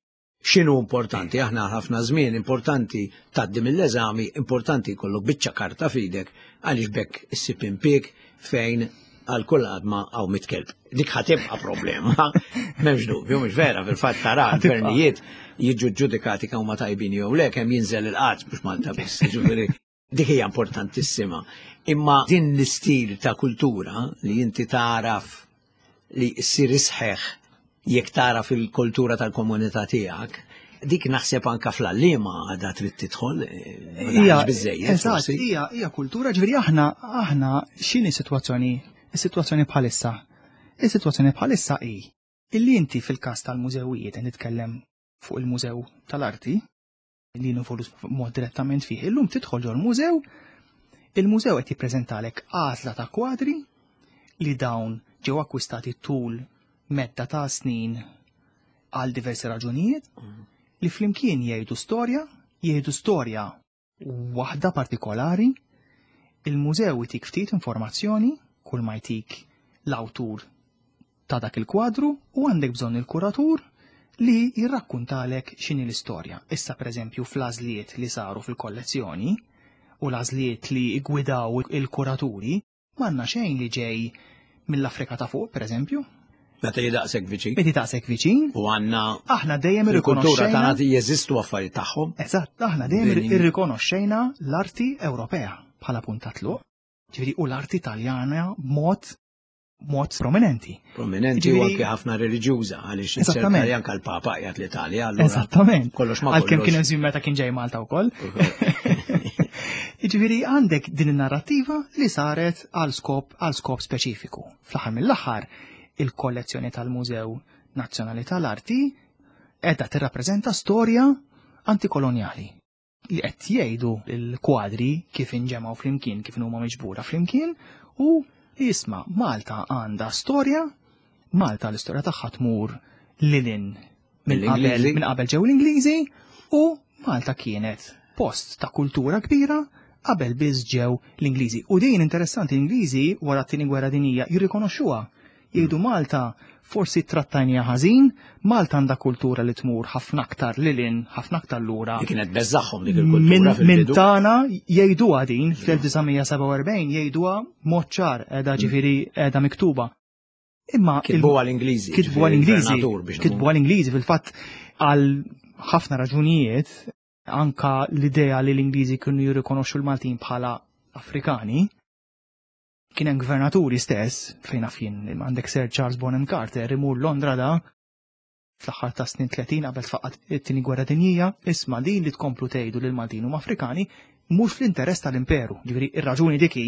x'inhu importanti, aħna ħafna żmien importanti tgħaddi mill-eżami, importanti jkollok biċċa karta f'idek għaliex bekk issib impieg fejn għal kull għadma għaw mitkelb. Dik ħatibqa problema, memx dubju, mhux vera, fil-fatt tara l-gvernijiet jiġu ġudikati kemm huma tajbin jew le kemm jinżel il-qatt mhux Malta biss, jiġifieri dik hija importantissima. Imma din l-istil ta' kultura li inti taraf li ssir isħeħ jekk taraf il-kultura tal-komunità tiegħek, dik naħseb anka fl-għalliema għadha trid tidħol, eh, hija biżejjed. Eżatt, hija hija kultura, ġifieri aħna aħna x'inhi sitwazzjoni is-sitwazzjoni bħalissa. Is-sitwazzjoni bħalissa hi illi inti fil-każ tal-mużewijiet qed nitkellem fuq il-Mużew tal-Arti, li involut mod direttament fih. Illum tidħol ġol mużew, il-mużew qed jippreżentalek għażla ta' kwadri li dawn ġew akkwistati tul medda ta' snin għal diversi raġunijiet li flimkien jgħidu storja, jgħidu storja waħda partikolari, il-mużew itik ftit informazzjoni kull ma jtik l-awtur ta' dak il-kwadru u għandek bżonn il-kuratur li jirrakkuntalek x'inhi l-istorja. Issa pereżempju fl-għażliet li saru fil-kollezzjoni u l-għażliet li ggwidaw il-kuraturi, m'għandna xejn li ġej mill-Afrika ta' fuq, pereżempju. Meta jidaqsek viċin. Meta jidaqsek viċin. U għandna aħna dejjem irrikonoxxejna. tagħna jeżistu affarijiet tagħhom. Eżatt, aħna dejjem irrikonoxxejna l-arti Ewropea bħala punt ta' tluq. Ġifieri u l-arti Taljana b'mod mod prominenti. Prominenti u anke ħafna reliġjuża għaliex Eżattament. anke l-Papa qiegħed l-Italja. Eżattament. Kollox ma Għalkemm kien hemm meta kien ġej Malta wkoll. Jiġifieri għandek din in-narrattiva li saret għal skop għal skop speċifiku. Fl-aħħar mill-aħħar il-kollezzjoni tal-Mużew Nazzjonali tal-Arti qiegħda tirrappreżenta storja antikolonjali li qed jgħidu l-kwadri kif inġemgħu flimkien, kif huma miġbura flimkien u jisma' Malta għandha storja, Malta l-istorja tagħha tmur lilin minn qabel minn qabel ġew l-Ingliżi u Malta kienet post ta' kultura kbira qabel biss ġew l-Ingliżi. U din interessanti l-Ingliżi wara t-tieni gwerra dinjija jirrikonoxxuha. Jgħidu Malta forsi trattajnija ħażin, Malta għandha kultura li tmur ħafna aktar lilin, ħafna aktar lura. Li kienet beżaħħom dik il-kultura. Minn tagħna jgħiduha din fl-1947 jgħiduha mod ċar qiegħda ġifieri qiegħda miktuba. Imma kitbu għal-Ingliżi. Kitbu għal-Ingliżi. Kitbu għal-Ingliżi fil-fatt għal ħafna raġunijiet anka l-idea li l-Ingliżi kienu jirrikonoxxu l-Maltin bħala Afrikani. Kien hemm gvernaturi stess fejn naf jien għandek Sir Charles Bonham Carter imur Londra da fl-aħħar ta' snin 30 qabel tfaqqat it-tieni gwerra dinjija, isma' din li tkomplu tgħidu lil Maltin huma Afrikani mhux fl-interess tal-imperu. Ġifieri ir-raġuni dik hi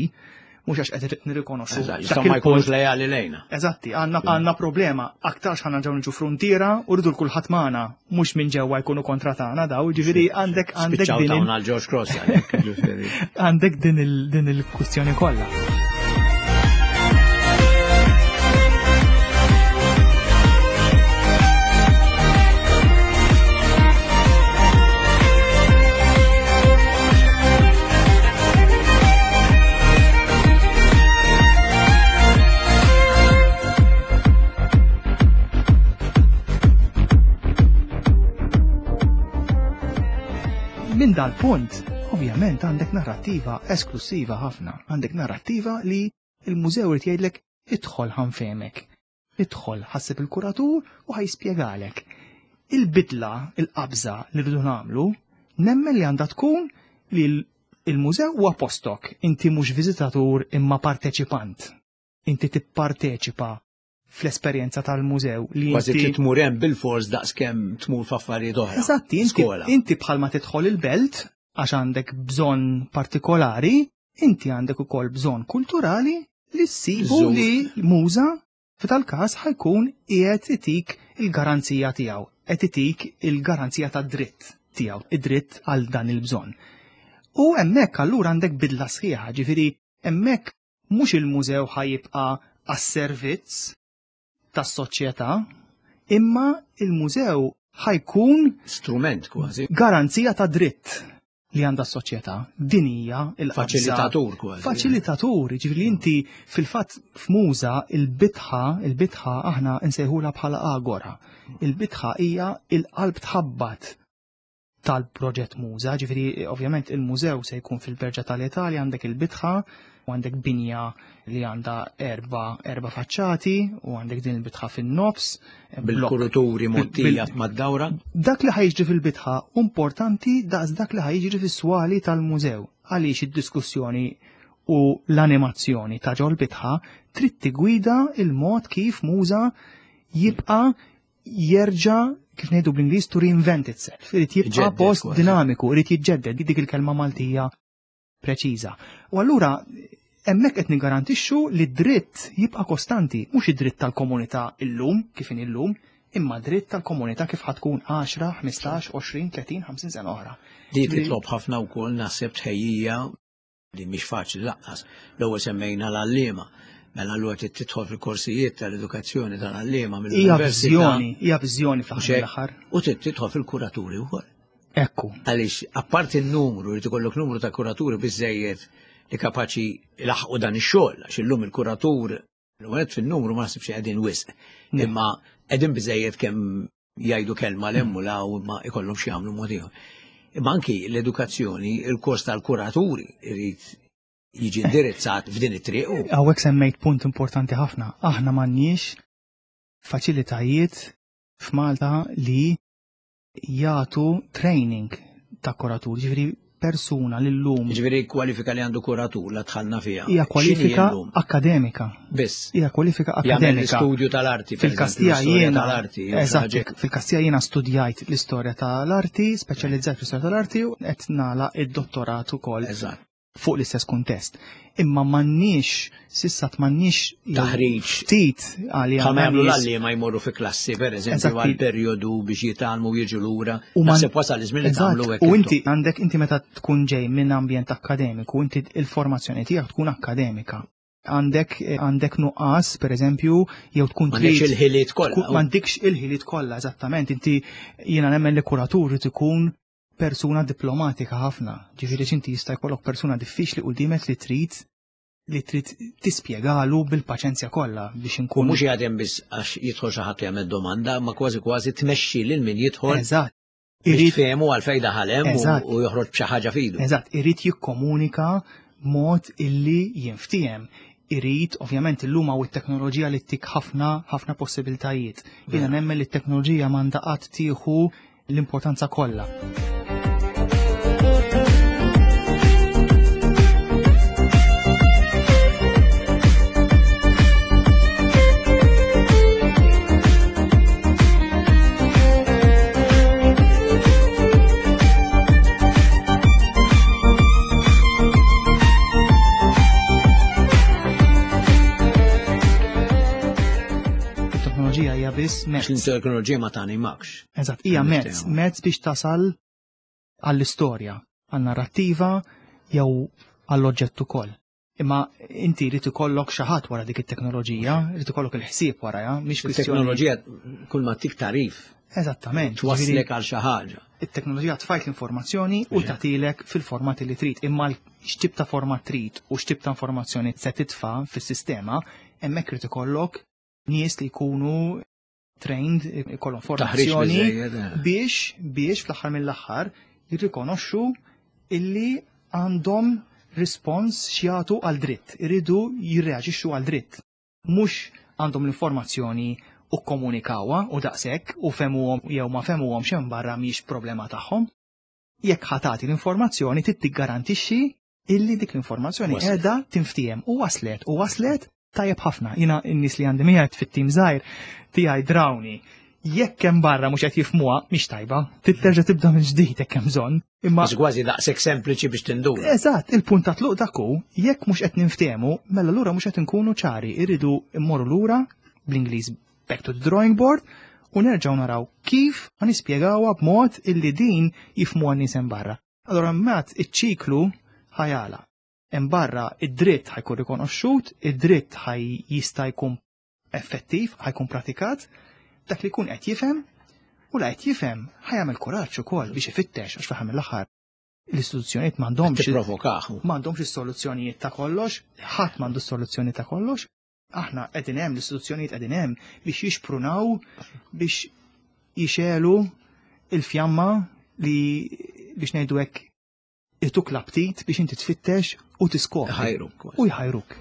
mhux għax qed nirrikonoxxu. Dak ma jkunux lejali lejna. Eżatti, għandna għandna problema aktarx ħana ġew niġu fruntiera u rridu l-kulħadd magħna mhux minn ġewwa jkunu kontra tagħna daw, ġifieri għandek għandek din għal George Cross għandek din il-kwistjoni kollha. Minn dal-punt, ovvjament għandek narrattiva esklusiva ħafna, għandek narrattiva li il-mużew irid jgħidlek idħol ħanfemek, idħol ħassib il-kuratur u ħajspjegalek. Il-bidla, il-qabża li rridu nagħmlu, nemmen li għandha tkun li il-mużew huwa postok, inti mhux viżitatur imma parteċipant. Inti tipparteċipa fl-esperjenza tal-mużew li Kważi trid tmur hemm bil-fors daqskemm tmur f'affarijiet oħra. Eżatti, inti, inti bħalma tidħol il-belt għax għandek bżonn partikolari, inti għandek ukoll bżonn kulturali li ssibu li muża f'tal-każ ħajkun qiegħed itik il-garanzija tiegħu, qed itik il-garanzija tad-dritt tiegħu, id-dritt għal dan il-bżonn. U hemmhekk allura għandek bidla sħiħa, ġifieri hemmhekk mhux il-mużew ħa jibqa' għas-servizz tas-soċjetà, imma il-mużew ħa jkun strument kważi. Garanzija ta' dritt li għandha s-soċjetà. Din hija il-faċilitatur kważi. Faċilitatur, ġifieri inti fil-fatt f'muża il-bitħa, il-bitħa aħna nsejħulha bħala agora. Il-bitħa hija il-qalb tħabbat tal-proġett Muża, ġifieri ovvjament il-mużew se jkun fil-Berġa tal-Italja għandek il-bitħa u għandek binja li għandha erba, erba faċċati u għandek din il-bitħa fin-nofs. Bil-kuruturi mottija mad-dawra. Dak li ħajġri fil-bitħa importanti daqs dak li ħajġri fis-swali tal-mużew għaliex id-diskussjoni u l-animazzjoni ta' ġol bitħa trid tigwida il-mod kif muża jibqa' jerġa' kif ngħidu bl-Ingliż to reinvent itself. Irid jibqa' post dinamiku, irid jiġġedded dik il-kelma Maltija preċiża. U allura hemmhekk qed niggarantixxu li d-dritt jibqa' kostanti, mhux id-dritt tal-komunità illum kif in illum, imma dritt tal-komunità kif ħatkun 10, 15, 20, 30, 50 sena oħra. Di titlob ħafna wkoll naħseb tħejjija li mhix faċli laqqas. L-ewwel semmejna l-għalliema. Mela allura trid tidħol fil-korsijiet tal-edukazzjoni tal-għalliema mill-università. Hija viżjoni, hija viżjoni fl-aħħar. U trid tidħol fil-kuraturi wkoll. Ekku. Għaliex apparti n-numru, irid ikollok numru ta' kuraturi biżejjed li kapaċi laħqu dan ix-xogħol, għax illum il-kuratur l-għed fin-numru ma nasibx qegħdin wisq. Imma qegħdin biżejjed kemm jgħidu kelma l u la u ma ikollhom xi jagħmlu mod ieħor. Imma anki l-edukazzjoni, il-kors tal-kuraturi irid jiġi indirizzat f'din it-triq. Hawnhekk semmejt punt importanti ħafna. Aħna m'għandniex. faċilitajiet f'Malta li jagħtu training ta' kuratur, ġifieri persuna li llum. Ġifieri kwalifika li għandu kuratur la dħalna fiha. Hija kwalifika akademika. Biss. Hija kwalifika akademika. Studju tal-arti. Fil-Kastija jiena. Eżatt, fil-Kastija jiena studjajt l-istorja tal-arti, speċjalizzajt fl-istorja tal-arti u qed nagħlaq id-dottorat ukoll. Eżatt. Fuq l-istess kuntest. Imma m'għandniex, s'issa m'għandniex taħriġ ftit għalija. Bħalma jagħmlu l-għalliema jmorru fi klassi, per eżempju, għal perjodu biex jitgħallmu jiġu lura. U naħseb wasal iż-żmien li tagħmlu hekk. U inti għandek inti meta tkun ġej minn ambjent akkademiku, inti il-formazzjoni tiegħek tkun akkademika. Għandek għandek nuqqas, per eżempju, jew tkun trid. M'għandekx il-ħiliet kollha. M'għandekx il-ħiliet kollha, eżattament. Inti jiena nemmen li kuratur irid ikun persuna diplomatika ħafna. Ġifieri x'inti jista' jkollok persuna diffiċli qudiemek li trid li trid tispjegalu bil-paċenzja kollha biex inkun. Mhux jgħadem biss għax jidħol xi ħadd jagħmel domanda, ma kważi kważi tmexxi lil min jidħol. Eżatt. Irid fehmu għal fejn daħal hemm u joħroġ b'xi ħaġa fidu. Eżatt, irid jikkomunika mod illi jinftiehem. Irid, ovvjament, illum hawn it-teknoloġija li ttik ħafna ħafna possibiltajiet. Jiena nemmen li t-teknoloġija m'għandha qatt tieħu l-importanza kollha. It-teknoloġija hija biss mezz. L-teknoloġija ma tanimakx. Eżatt, hija mezz, mezz biex tasal għall-istorja, għan-narrattiva jew għall-oġġett ukoll. Imma inti jrid ikollok xi ħadd wara dik it-teknoloġija, jrid ikollok il-ħsieb warajha, mhix kwistjoni. Teknoloġija kull ma tik tarif. Eżattament. Twaslek għal xi ħaġa. It-teknoloġija tfajt l-informazzjoni u tagħtilek fil-format li trid, imma x'tip ta' format trid u x'tip ta' informazzjoni se titfa' fis-sistema, hemmhekk irid ikollok nies li jkunu trained, ikollhom formazzjoni eh. biex biex fl-aħħar mill-aħħar jirrikonoxxu illi għandhom rispons x'jagħtu għal dritt, iridu jirreaġixxu għal dritt. Mhux għandhom l-informazzjoni u kkomunikawha u daqshekk u femuhom jew ma femuhom xejn barra mhix problema tagħhom. Jekk ħa tagħti l-informazzjoni trid tiggarantixxi illi dik l-informazzjoni qiegħda tinftiehem u waslet u waslet tajjeb ħafna. Jiena n-nies li għandi miegħi fit-tim żgħir tiegħi drawni. Jekk hemm barra mhux qed jifhmuha mhix tajba, trid terġa' tibda minn ġdid jekk hemm bżonn. Imma kważi daqshekk sempliċi biex tinduna. Eżatt, il-punt ta' tluq dak hu, jekk mhux qed ninftehmu, mela lura mhux qed inkunu ċari, irridu mmorru lura bl-Ingliż back to the drawing board u nerġgħu naraw kif ħa nispjegawha b'mod illi din jifhmuha n-nies hemm barra. Allura mbagħad iċ-ċiklu ħa jagħlaq. Hemm barra id-dritt ħa jkun rikonoxxut, id-dritt ħa jista' jkun effettiv, ħa jkun pratikat, dak li jkun qed jifhem u la qed jifhem ħa jagħmel kuraġġ ukoll biex ifittex għax fl-aħħar mill-aħħar l-istituzzjonijiet m'għandhomx Tipprovokah. M'għandhomx is-soluzzjonijiet ta' kollox, ħadd m'għandu s-soluzzjoni ta' kollox. Aħna qegħdin hemm, l-istituzzjonijiet qegħdin hemm biex jixprunaw biex jixegħlu il-fjamma li biex ngħidu hekk ituk l-aptit biex inti tfittex u tiskopri. Jħajruk. U jħajruk.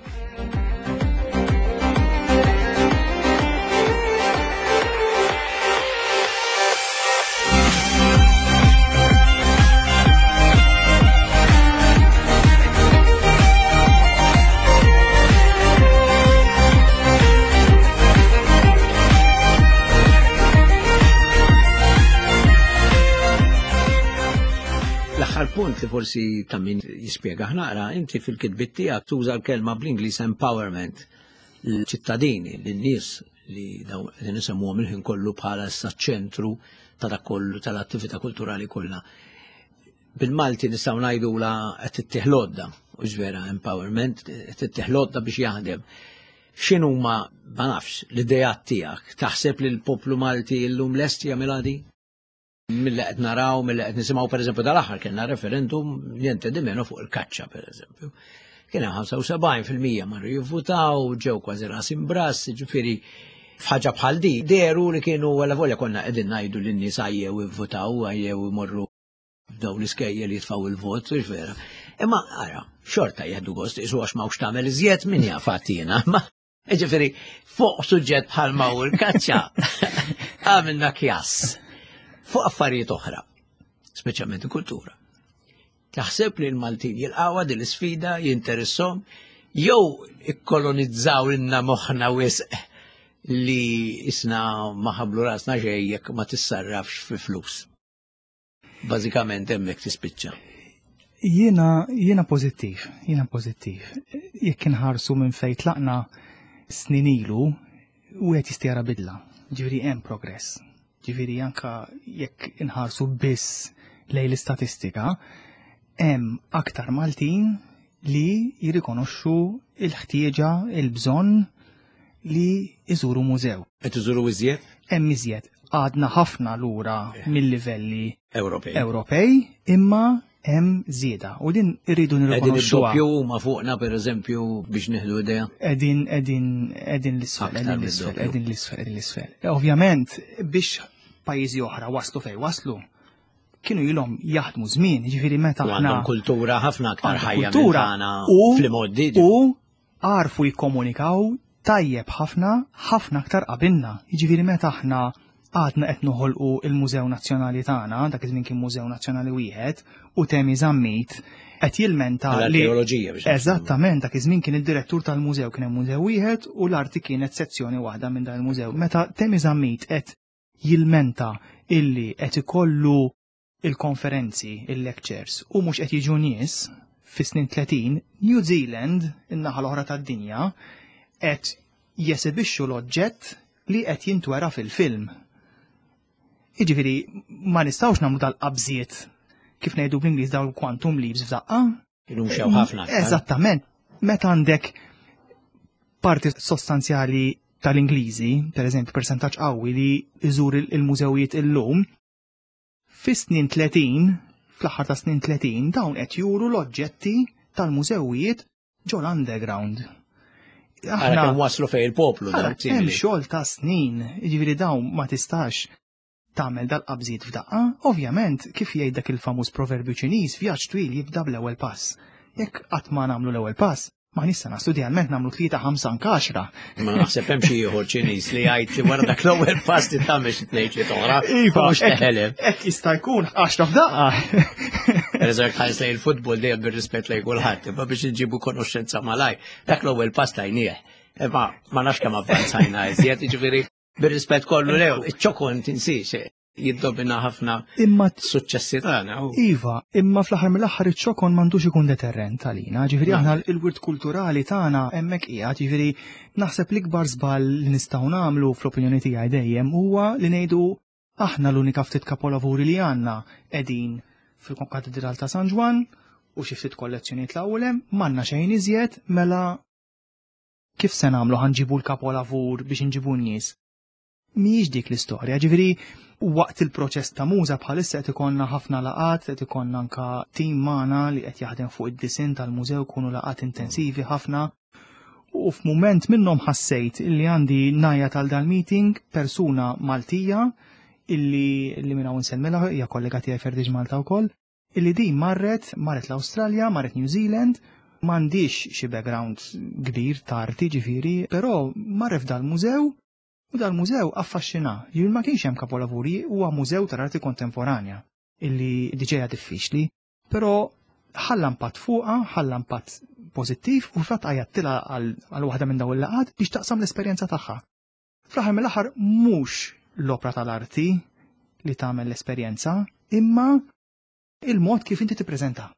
L-aħħar punt li forsi ta' min jispjega naqra, inti fil-kitbiet tiegħek tuża l-kelma bl-Ingliż empowerment l-ċittadini, lin-nies li dawn li nisemmuhom il-ħin kollu bħala issa ċentru ta' dak kollu tal-attività kulturali kollha. Bil-Malti nistgħu ngħidula qed tittih l-għodda, u vera empowerment, qed tittih l-għodda biex jaħdem. X'inhuma, ma nafx, l-ideat tiegħek? Taħseb li l-poplu Malti llum lest jagħmilha di? Milli qed naraw, milli qed nisimgħu pereżempju dal-aħħar kellna referendum niente di meno fuq il-kaċċa pereżempju. Kien hemm 75% marru jivvutaw, ġew kważi ras imbras, ġifieri f'ħaġa bħal di, deru li kienu għala volja konna qegħdin ngħidu lin-nies għajjew ivvutaw, għajjew imorru dawn l-iskejjel jitfgħu il-vot, mhux vera. Imma ara, xorta jieħdu gost, isu għax m'hawnx tagħmel iżjed min jaf għatina. Ma Ġifieri, fuq suġġett bħal ma hu l-kaċċa għamilna kjass fuq affarijiet oħra, speċjalment il-kultura. Taħseb li l-Maltin jilqawha din l-isfida, jinteressom, jew ikkolonizzaw lilna moħħna wisq li isna ma ħablu rasna xejn jekk ma tissarrafx fi flus. Bażikament hemmhekk tispiċċa. Jiena jiena pożittiv, jiena pożittiv. Jekk inħarsu minn fejn tlaqna snin ilu, wieħed jista' jara bidla. Ġifieri hemm progress. Ġifieri anka jekk inħarsu biss lejn l-istatistika, hemm aktar Maltin li jirrikonoxxu il-ħtieġa, il-bżonn li iżuru mużew. Qed iżuru iżjed? Hemm iżjed. Għadna ħafna lura mill-livelli Ewropej. Ewropej, imma hemm żieda u din irridu Qegħdin nirrikonoxxuha. id-doppju huma fuqna pereżempju biex nieħdu idea. Qegħdin qegħdin qegħdin l-isfel, Aktar qegħdin l-isfel, mid-doppju. qegħdin l-isfel, qegħdin l-isfel. Ovvjament biex pajjiżi oħra waslu fejn waslu, kienu ilhom jaħdmu żmien, jiġifieri meta U aħna għandhom kultura ħafna aktar għandhom ħajja minn kultura tagħna u- fl-imgħoddi. u għarfu jikkomunikaw tajjeb ħafna, ħafna aktar qabilna. Jiġifieri meta aħna għadna qed noħolqu il-Mużew Nazzjonali tagħna, dak iż-żmien kien Mużew Nazzjonali wieħed, u Temi Zammit qed jilmenta li L-arkeoloġija biex. Eżattament, dak iż-żmien kien id-direttur tal-mużew kien hemm mużew wieħed u l-arti kienet sezzjoni waħda minn dan il-mużew. Meta Temi Zammit qed jilmenta illi qed ikollu il-konferenzi, il-lectures u mhux qed jiġu nies fis-snin 30, New Zealand, in-naħa l-oħra tad-dinja, qed jesibixxu l-oġġett li qed jintwera fil-film. Jiġifieri ma nistgħux nagħmlu dal-qabżiet kif ngħidu bl-Ingliż dawn quantum leaps f'daqqa. Kienu mxew ħafna. aktar. Eżattament. Meta għandek parti sostanzjali tal-Ingliżi, per eżempju, percentaġġ qawwi li iżur il-mużewijiet illum, fis-snin 30, fl-aħħar ta' snin 30, dawn qed juru l-oġġetti tal-mużewijiet ġol underground. Ara kemm waslu fejn il-poplu Ara, dawn hemm simili. xogħol ta' snin, jiġifieri dawn ma tistax tagħmel dal-qabżiet f'daqqa. Ovvjament, kif jgħid dak il-famuż proverbju Ċiniż, vjaġġ twil jibda bl-ewwel pass. Jekk qatt ma nagħmlu l-ewwel pass, ma nista' naslu idealment nagħmlu tlieta ħamsa anke għaxra. Ma naħseb hemm xi ieħor Ċiniż li jgħid li wara dak l-ewwel pass li tagħmel xi tnejn tliet oħra. Iva, mhux teħeleb. Hekk jista' jkun għaxra f'daqqa. Pereżempju tħares lejn il-futbol dejjem bir-rispett lejn kulħadd, imma biex inġibu konoxxenza malaj, dak l-ewwel pass tajnieh. Imma ma nafx kemm avvanzajna iżjed, jiġifieri bir-rispett kollu lew, iċ-ċokon tinsiex jiddomina ħafna Imma suċċessi tagħna. u- Iva, imma fl-aħħar mill-aħħar iċ-ċokon m'għandux ikun deterrent għalina, ġifieri aħna il-wirt kulturali tagħna hemmhekk qiegħed, ġifieri naħseb l-ikbar żball li nistgħu nagħmlu fl-opinjoni tiegħi dejjem huwa li ngħidu aħna l-unika ftit kapolavuri li għandna qegħdin fil-Konkatedral ta' San Ġwann u xi ftit kollezzjonijiet l-ewwel hemm, m'għandna xejn iżjed mela kif se nagħmlu ħanġibu l-kapolavur biex inġibu n-nies. Mhijiex dik l-istorja, ġifieri waqt il-proċess ta' muża bħalissa qed ikollna ħafna laqat, qed ikollna anka tim magħna li qed jaħdem fuq id-disinn tal-mużew kunu laqat intensivi ħafna. U f'mument minnhom ħassejt illi għandi najja tal dal-meeting persuna Maltija illi li minn hawn insemmilha hija kollega tiegħi Ferdiġ Malta wkoll, illi din marret, marret l-Awstralja, marret New Zealand, m'għandix xi background kbir ta' arti ġifieri, però marret f'dal-mużew u dal-mużew affaxxina. Ġifieri ma kienx hemm kapolavuri, huwa mużew tal-arti kontemporanja illi diġà hija diffiċli, però ħalla impatt fuqha, ħalla impatt pożittiv u fatt għajattilha għal waħda minn dawn il-laqgħat biex taqsam l-esperjenza tagħha. Fl-aħħar mill-aħħar mhux l-opra tal-arti li tagħmel l-esperjenza, imma il-mod kif inti tippreżenta.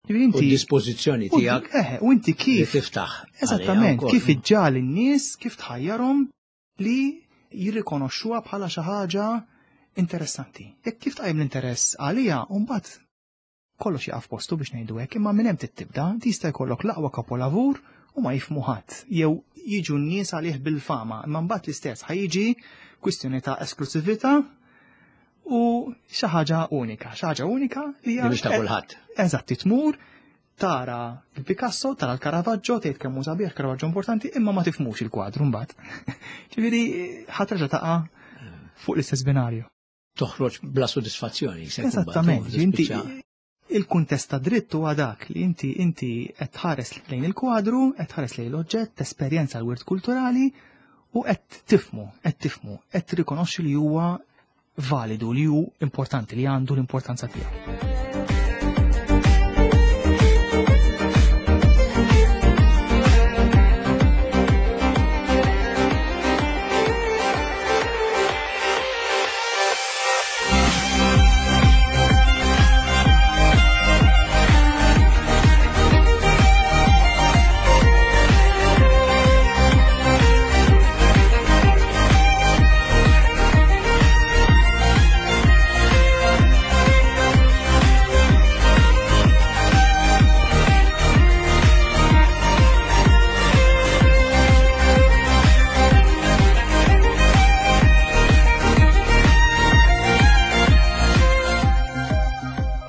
Ġifieri U inti d-dispożizzjoni u- tiegħek eh, u inti li kif tiftaħ. għaliha Eżattament, wkoll. kif iġġal in-nies, kif tħajjarhom li jirrikonoxxuha bħala xi ħaġa interessanti. Jekk kif tqajjem l-interess għaliha, u mbagħad kollox jaqaf postu biex ngħidu hekk, imma minn hemm tibda, tista' jkollok l-aqwa kapolavur u ma jifmu ħadd jew jiġu n-nies għalih bil-fama, imma mbagħad l-istess ħajjiġi kwistjoni ta' esklusività u xi ħaġa unika, xi ħaġa unika li Li hija mhux ta' kulħadd. Eżatt, tmur, tara il-Picasso, tara l-Caravaggio, tgħid kemm hu sabiħ Caravaggio importanti, imma ma tifmux il-kwadru mbagħad. Ġifieri ħadd terġa' taqa' fuq l-istess binarju. Toħroġ bla sodisfazzjoni. se jkun Eżattament, bagħtu, inti tispiċċa. Il-kuntest ta' dritt huwa dak li inti inti qed tħares lejn il-kwadru, qed tħares lejn l-oġġett, tesperjenza l-wirt kulturali u qed tifmu, qed tifmu, qed tirrikonoxxi li huwa validu, li hu importanti, li għandu l-importanza tiegħu.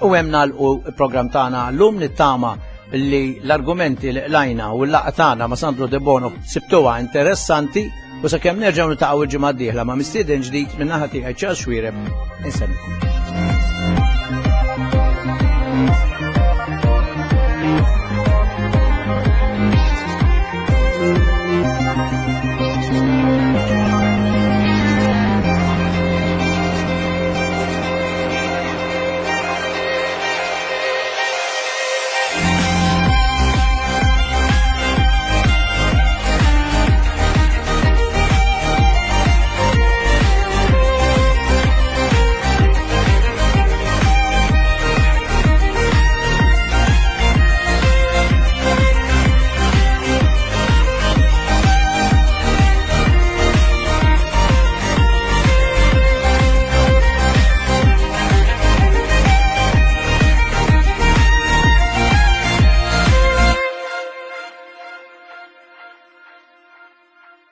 U hemm nagħlqu l-programm tagħna llum nittama li l-argumenti li qlajna u l-laqgħa tagħna ma' Sandro De Bono sibtuha interessanti u sakemm nerġgħu niltaqgħu il-ġimgħa d-dieħla ma' mistieden ġdid minn naħa tiegħi Charles Xuereb insemmikom.